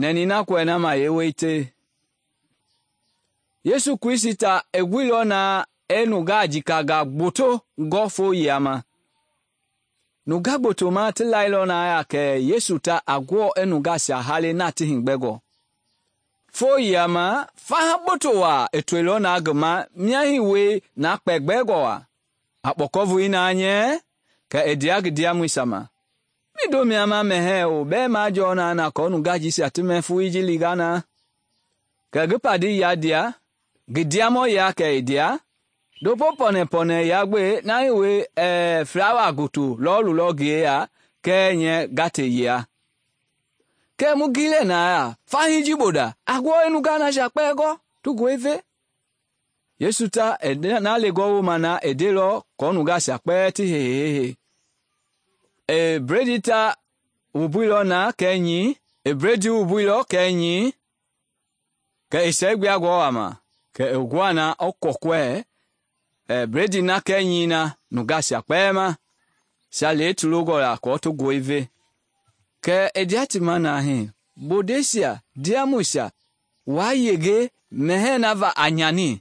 nɛni na kɔɛ na ma yeewete. Yesu Kristi ta i guilɔ na i nungaa jikangaa gboto gɔ foo yiama. Nungaa gboto ma ti lailɔ na ya kɛ Yesu ta a guɔ i nungaasia hale na ti higbɛngɔ. Foo yiama faha gboto waa i toilɔ na ngi ma mia hii wie na kpɛgbɛngɔ waa. A kpɔkɔvoi na nyɛ kɛ i ndea ngi ndiamɔisia ma. Mindo mia ma mɛhɛɛ o bɛɛ majɔɔ na kɔɔ nungaa jisia ti mɛ foloi ji linga na. Kɛ ngi padi ya ndia, ngi ndiamɔya kɛ i ndea, ndopo pɔnɛpɔnɛ ya gbe na hii wie flawa gboto lɔɔlulɔ ngi yeya kɛɛ nyɛ gate yia. Kɛ mu gilɛ na ya, fahii ji boda, a guɔ i nungaa nasia kpɛɛ gɔ, ti gɔi ve. Yesu ta i na legɔ wooma na i ndeilɔ kɔɔ nungaasia kpɛɛ ti hehehe. I bredi ta wubuilɔ na kɛɛ nyi, i bredi wubuilɔ kɛɛ nyi, kɛ i sɛɛgbia gɔɔ a ma, kɛ i gua na i kɔkɔɛ bredi na kɛɛ nyi na nungaasia kpɛɛ ma, sia le ti longɔ la kɔɔ ti gɔi ve. Kɛ i ndea ti ma na hii, bodeisia, ndiamɔisia, waa yenge mɛhɛɛ na va a nyani.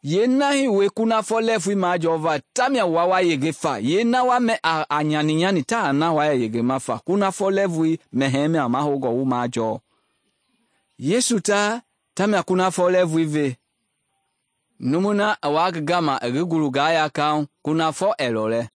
Yeena hii wie kunafɔ lɛɛvui majɔɔva tamia wa yenge fa, yeena wa mɛ a nyani taa na wa yenge ma fa, kunafɔ lɛɛvui mɛhɛɛ mia mahogɔ wu majɔɔ. Yesu ta tamia kunafɔ lɛɛvui ve. Numu na a wa ngi gama i ngi gulungaa ya kaŋ, kunafɔ ɛlɔ lɛ.